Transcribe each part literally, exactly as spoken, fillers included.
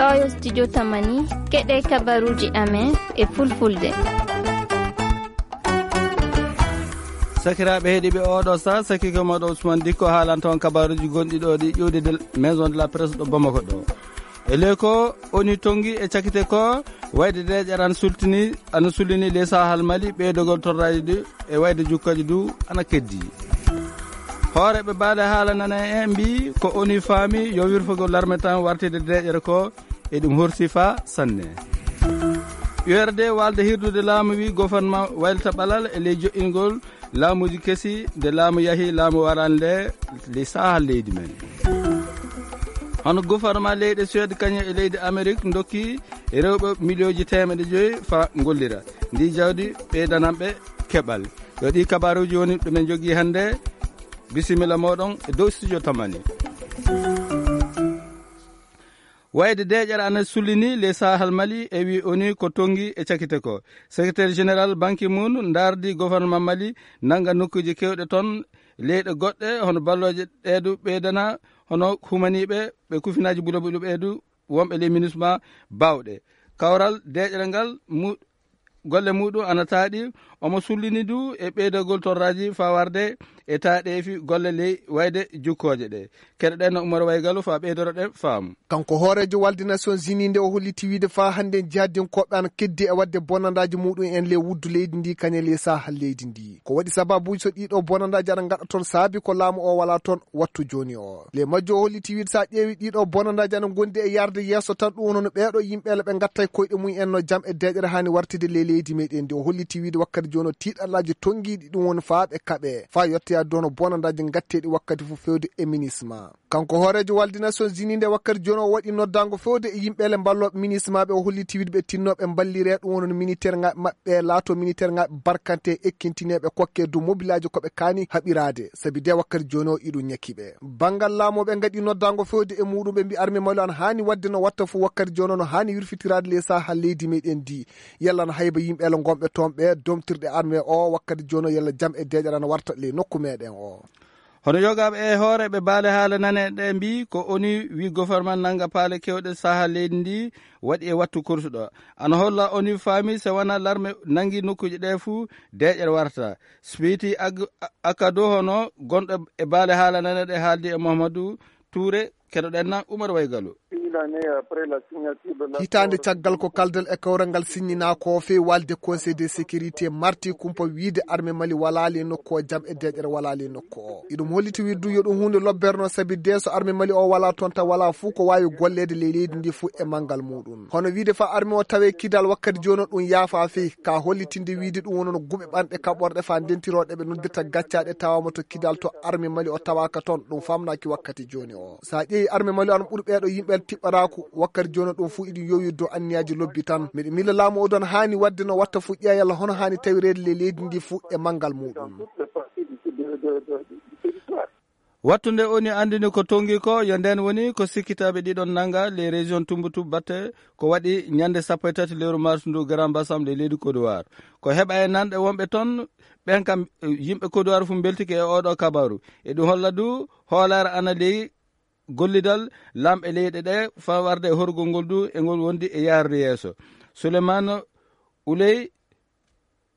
Oyo studio Tamani, keɗe kabaruji amen e fulfulde. Sakiraaɓe heɗiiɓe, oɗo sa sakiko maɗo Ousmane Dikko haalanto on kabaruji gonɗi ɗo ɗi ƴuwde de Maison de la Presse ɗo Bamako ɗo. E ley ko oni tongi e cakite ko wayde deeƴere ana sultini, ana sullini ley Sahal Mali, ɓeydogol torraji ɗi e wayde jukkaji du ana keddi. Hooreɓe baale haala nana en mbi ko oni faami yo wirfogol larme tan wartide deeƴere ko e ɗum horsi fa sanne. U R D walde hirdude laamu wi gouvernement waylita ɓalal e ley joɗɗingol laamuji kesi de laamu yahi laamu warande ley Sahal leydi men. Hono gouvernement leyɗe Suède kañum e leydi Amérique dokki rewɓe miliyonji temeɗe joyi fa gollira ndi jawdi ɓeydananɓe keɓal. Yo ɗi kabaruji woni ɗumen jogii hannde. Bisimilla moɗon e dow studio Tamani. Wayde deeƴere ana sullini ley Sahal Mali e wi oni ko tongi e cakite ko. Secrétaire général Ban Ki-moon ndardi gouvernement Mali nanga nokkuji kewɗe ton leyɗe goɗɗe hono balloje ɗeedu ɓeydana hono humaniɓe ɓe kufinaji bulo bulo ɓeedu wonɓe ley minusma bawɗe. Kawral deeƴere ngal mu golle muɗum ana taaɗi. Omo sullini du e ɓeydagol torraji fa warde e taaɗeefi golle ley wayde jukkooje ɗe. Keɗoɗen no Umar Waygalu fa ɓeydoroɗen faamu. Kanko hooreejo walde Nations Unies nde o holliti wiide fa hannde jihadinkoɓe ana keddi e wadde bonandaaji muɗum en ley wuddu leydi ndi kañe ley Sahal leydi ndi. Ko waɗi sababuji so ɗiɗo bonandaaji ana ngaɗa toon saabi ko laamu o wala toon wattu jooni o. Le majjo o holliti wiide sa ƴeewi ɗiɗo bonandaaji ana gondi e yarde yeeso tan ɗum woni hono ɓeeɗo yimɓe le ɓe gatta e koyɗe mum en no jam e deeƴere hani wartide ley leydi meɗen ndi. O holliti wiide wakkati jooni o tiiɗallaji tongiɗi ɗum woni fa ɓe kaɓe fa yettoya dono bonandaaji gatteɗi wakkati fof fewde e minisma. Kanko hooreejo walde Nations Unies nde wakkati jooni o waɗi noddango fewde e yimɓe le mballoɓe minismaɓe o holliti wiide ɓe tinnoɓe mballire ɗum woni militaire ngaɓe maɓɓe laato militaire ngaɓe barkante ekkintineɓe kokke dow mobilaji koɓe kaani haɓirade. Sabi de wakkati jooni o iɗum ñakkiɓe. Banngal laamu ɓe ngaɗi noddango fewde e muɗum ɓe mbi arme Mali an haani wadde no watta fof wakkati jooni o no haani wirfitiraade ley Sahal leydi meɗen ndi. Yalla no hayba yimɓe le gonɓe toon ɓe domtirɗe arme o wakkati jooni o yalla jam e deeƴere ana warta ley nokku meɗen o. Hono yogaaɓe e hooreeɓe baale haala nane ɗe mbi ko oni wi gouvernement nanga paale kewɗe Sahal leydi ndi waɗi e wattu kursuɗo. Ana holla oni faami se wona larme nangi nokkuji ɗe fuu deeƴere warta. Spiti Ag-, Akado hono gonɗo e baale haala nane ɗe haaldi e Mouhamadou Touré, keɗoɗen na Umar Waygalu. Hitaande caggal ko kaldal e kawral ngal signina ko fewi walde Conseil de sécurité marti kumpa wiide arme Mali wala le nokku o jam e deeƴere wala le nokku o. Iɗum holliti wiide du yo ɗum hunde lobberno sabi de so arme Mali o wala toon ta wala fuu ko wawi golleede ley leydi ndi fuu e manngal muɗum. Hono wiide fa arme o tawe kidal wakkati jooni o ɗum yaafa fey ka hollitinde wiide ɗum wonono guɓe ɓanɗe kaɓorɗe fa ndentiroɗe ɓe noddirta gaccaɗe tawama to kidal to arme Mali o tawaka toon ɗum famnaki wakkati jooni o. Sa ƴeewi arme Mali o an ɓuri ɓeeɗo yimɓe tiɓɓataku wakkati jooni o ɗum fuu iɗum yowi dow anniyaji lobbi tan. Miɗo mila laamu o don haani wadde no watta fuu ƴeeyal hono haani tawireede ley leydi ndi fuu e manngal muɗum. Wattu nde oni anndini ko tongi ko, yo nden woni ko sikkitaaɓe ɗiɗon nanga les régions Tumbutu batte ko waɗi ñande sappo e tati lewru mars ndu Grand Bassam ley leydi Côte d'Ivoire. Ko heɓa e nanɗe wonɓe toon, ɓen kam, eh, yimɓe Côte d'Ivoire fof mbeltike e oɗo kabaru. E ɗum holla du hoolaare ana ley gollidal lamɓe leyɗe ɗe fa warde e horgol ngol du e ngol wondi e yaarude yeeso. Souleymane Ouley,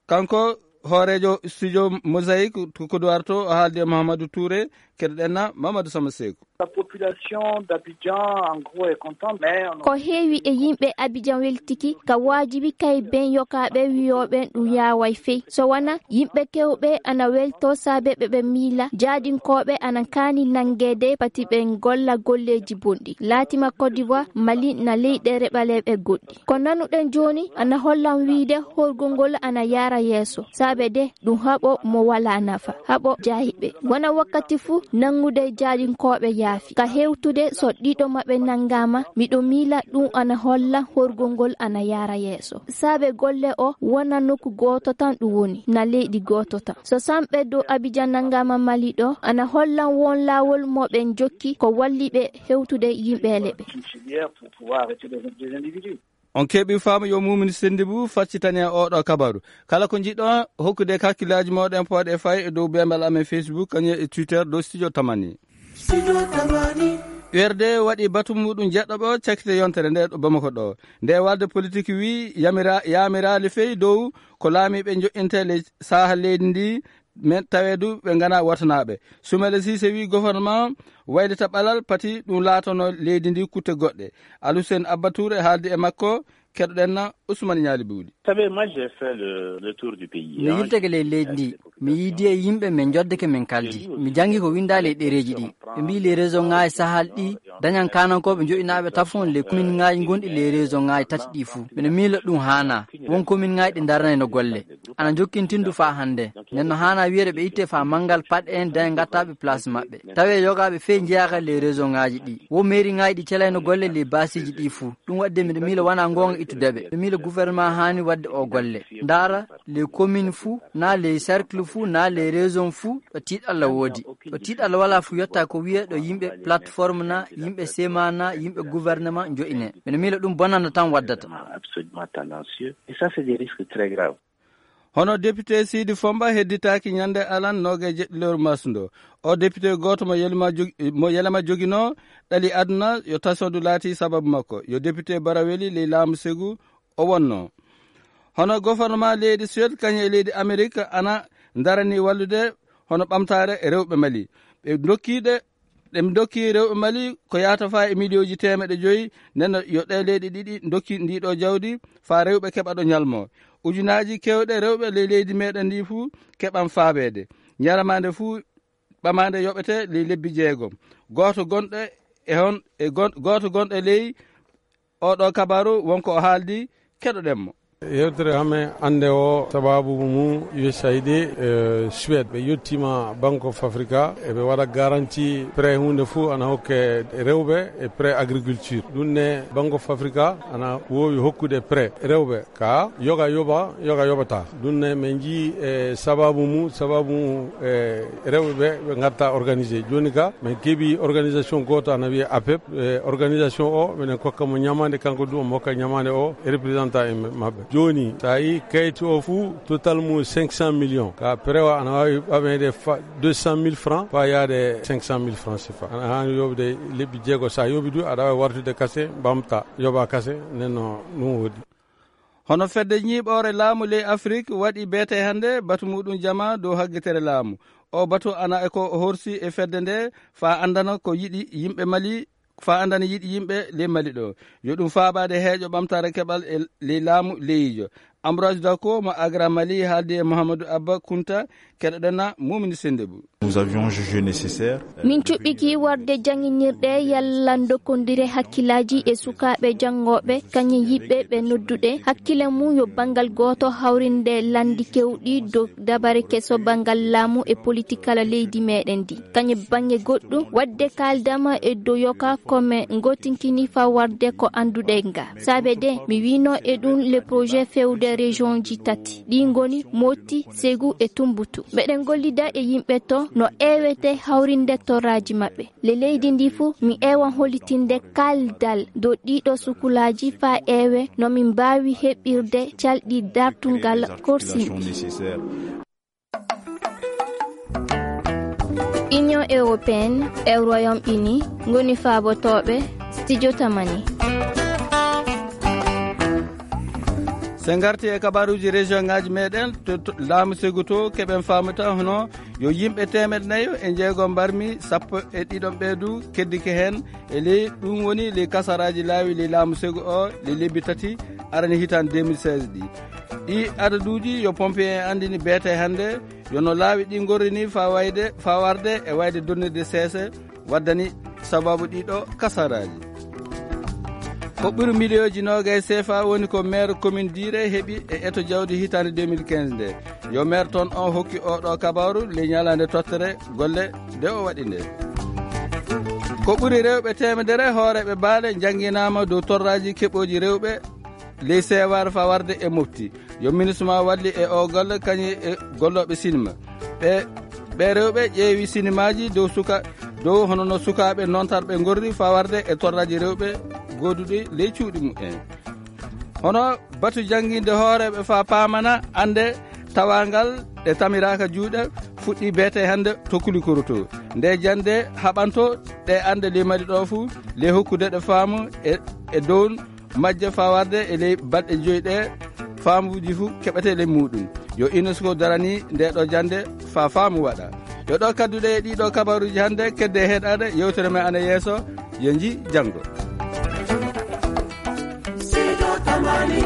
kanko hooreejo studio Mosaïque to Côte d'Ivoire to, o haaldi e Mahamadou Touré, keɗoɗen na Mamadou Sama Seeku. La population d'Abidjan, en gros, est contente, mais on a Ko heewi e yimɓe Abidjan weltiki, ka waajibi kay ben yokaaɓe wiyooɓe ɗum yaaway fey. So wona yimɓe kewɓe ana welto saabe ɓe ɓe miila, jaadinkooɓe ana kaani nanngeede pati ɓe golla golleeji bonɗi. Laatima Côte d'Ivoire, Mali na leyɗe reɓaleeɓe goɗɗi. Ko nanuɗen jooni ana hollan wiide horgol ngol ana yaara yeeso, saabe de ɗum haɓo mo walaa nafa, haɓo jaahiɓe. Wona wakkati fuu nanngude jaadinkooɓe yaafi. Ka hewtude so ɗiɗo maɓɓe nanngaama, miɗo miila ɗum ana holla horgol ngol ana yaara yeeso. Saabe golle o wona nokku gooto tan ɗum woni, na leydi gooto tan. So samɓe dow Abidjan nanngaama Mali ɗo, ana hollan won laawol mo ɓe njokki ko walli ɓe hewtude yimɓeele ɓe. On keɓi faamu yo Mumini Sendibu faccitani en oɗo kabaru. Kala ko njiɗɗon hokkude kakkillaaji mooɗon pooɗe fay e dow bembal amen Facebook, kañum e Twitter, dow Studio Tamani. Studio Tamani. U R D waɗi batu muɗum jeɗɗo ɓo cakkite yontere nde ɗo Bamako ɗo. Nde walde politique wi yamira-, yamiraali fey dow ko laamiiɓe njoƴƴinte le saaha leydi ndi, men taweedu ɓe ngana watanaaɓe. Sumaila Cissé wi gouvernement waylita ɓalal pati ɗum laatono leydi ndi kutte goɗɗe. Alusen Abba Touré haaldi e makko, keɗoɗen na Ousmane Ñaali Buuli. Vous savez, moi, j'ai fait le, le tour du pays, mi yilteke ley leydi ndi, mi yiidi e yimɓe, min njoddeke min kaldi. Mi janngi ko winndaali e ɗereeji ɗi. Ɓe mbii les région ŋaaji sahal ɗi dañan kaanankooɓe joɗɗinaaɓe tafon les commune ŋaaji gonɗi les région ŋaaji tati ɗi fuu. Mbiɗa miila ɗum haanaa. Won commune ŋaaji ɗi ndaranayno golle. Ana jokkintindu faa hannde. Nden no haanaa wiyeede ɓe itte faa manngal paɗ en daña ngattaaɓe place maɓɓe. Tawee yogaaɓe fey njeyaaka les région ŋaaji ɗi. Wo mairie ŋaaji ɗi celayno golle les basiiji ɗi fuu. Ɗum waɗde mbiɗa miila wonaa goonga ittude ɓe. Mbiɗa miila gouvernement haani waɗde o golle. Ndaara les commune fuu, naa les cercle fuu, naa les région fuu, ɗo tiiɗalla woodi. Ɗo tiiɗalla walaa fuu yetta ko wiyee ɗo yimɓe plateforme naa, yimɓe sema naa, yimɓe gouvernement joɗɗine. Mbiɗa miila ɗum bonanda tan waddata. Absolument tendancieux. Et ça, c'est des risques très graves. Hono député Sidi Fomba hedditaaki ñande alan noogaye jeɗɗi lewru mars ndo. O député gooto mo yelma jog-, mo yelema joginoo ɗali aduna yo tasondu laati sababu makko. Yo député Baraweli ley laamu Segu o wonnoo. Hono gouvernement leydi Suède kañum e leydi Amérique ana ndarani wallude hono ɓamtaare rewɓe Mali. Ɓe ndokkiiɗe, ɓe ndokki rewɓe Mali ko yahata faa e miliyooji teemeɗe joyi, nden no yo ɗe leyɗe ɗiɗi ndokki ndiɗo jawdi faa rewɓe keɓa ɗo ñalmo. Ujunaaji keewɗe rewɓe ley leydi meɗen ndi fuu keɓan faabeede. Ñalamaande fuu ɓamaande yoɓete ley lebbi jeegom. Gooto gonɗo e hon, e gon-, gooto gonɗo e ley oɗo kabaru wonko o haaldi, keɗoɗen mo. Yewtere hame ande o sababu mu U S A I D, eh, Suède. Ɓe yettima Bank of Africa, eɓe waɗa garanti prêt hunde fu ana hokke rewɓe e prêt agriculture. Ɗum ne Bank of Africa ana wowi hokkude prêt rewɓe ka yoga yoba, yoga yobata. Ɗum ne min jii e sababu mu, sababu mu, e rewɓe ɓe, ɓe ngatta organisé. Joni ka, min keɓi organisation goto ana wiye APEP. E organisation o, minen kokka mo ñamande, kanko du omo hokka ñamande o, e représentant en maɓɓe. Joni, sa yi kayti o fu, total mu cinq cent millions. Ka prewa ana wawi ɓamede fa-, deux cent mille francs, fa yaade cinq cent mille francs C F A. Ana hani yoɓde lebbi jeego, sa yoɓi du, aɗa wawi wartude kase, ɓamta, yoɓa kase, nden no ɗum woodi. Hono fedde ñiiɓoore laamu ley Afrik waɗi beete hannde batu muɗum jama dow haggitere laamu. O batu ana e ko horsi e fedde nde faa anndana ko yiɗi yimɓe Mali, faa anndana yiɗi yimɓe ley Mali ɗo. Yo ɗum faabaade heeƴo ɓamtaare keɓal e ley laamu leyijo. Ambroise Dako mo Agra Mali haaldi e Mouhamadou Abba Kunta, keɗoɗen na Mumini Sendebou. Nous avions jugé nécessaire. Min cuɓɓiki warde jannginirɗe yalla ndokkondire hakkillaaji e sukaaɓe janngooɓe, kañum yiɗɓe ɓe nodduɗe hakkille mum yo banngal gooto hawrinde lanndi keewɗi dow dabare keso banngal laamu e politik kala leydi meɗen ndi. Kañum bannge goɗɗum, waɗde kaaldama e dow yoka ko min ngootinkini faa warde ko annduɗen ga. Saabe de, mi wiino e ɗum le projet feewde région ji tati. Ɗi ngoni Moti, Segu e Tumbutu. Meɗen gollida e yimɓe to no eewete hawrinde torraaji maɓɓe. Le leydi ndi fuu, mi eewan hollitinde kaldal dow ɗiɗo sukulaaji faa eewe no min mbaawi heɓirde calɗi dartungal korsinɗi. Union Européenne e Royaume-Uni ngoni faabotooɓe Studio Tamani. So en ngarti e kabaruuji région ŋaaji meɗen, to, to laamu Segu to, keɓen faamuta hono yo yimɓe teemeɗɗe nayo e jeego mbarmi, sappo e ɗiɗon ɓeedu keddike heen. E ley ɗum woni ley kasaraaji laawi ley laamu Segu o, ley lebbi tati arani hitaande deux mille seize ɗi. Ɗi adaduuji yo pompier en anndini beete hannde, yo no laawi ɗi ngorri ni faa wayde, faa warde e wayde donnirde seese waddani sababu ɗiɗo kasaraaji. Ko ɓuri miliyooji noogay C F A woni ko maire commune Diire heɓi e eto jawdi hitaande deux mille quinze nde. Yo maire toon o hokki oɗo kabaru ley ñalaande tottere golle nde o waɗi nde. Ko ɓuri rewɓe teemedere hooreeɓe baale njannginaama dow torraaji keɓooji rewɓe ley seewaare faa warde e mofti. Yo MINUSMA walli e o golle kañum e gollooɓe sinima. Ɓe, ɓe rewɓe ƴeewi sinimaaji dow suka-, dow hono no sukaaɓe noontarɓe ngorri faa warde e torraaji rewɓe gooduɗi ley cuuɗi mumen. Hono batu jannginde hooreeɓe faa paamana annde tawaangal ɗe tamiraaka juuɗe fuɗɗi beete hannde to Kulikoro to. Nde jannde haɓanto ɗe annde limari ɗo fuu, ley hokkude ɗe faamu e, e dow majje faa warde e ley balɗe joy ɗe faamuuji fuu keɓete ley muuɗum. Yo UNESCO darani nde ɗo jannde faa faamu waɗa. Yo ɗo kadduɗe e ɗiɗo kabaruuji hannde, kedde heɗaade yewtere men ana yeeso. Yo nji janngo. Sido Tamani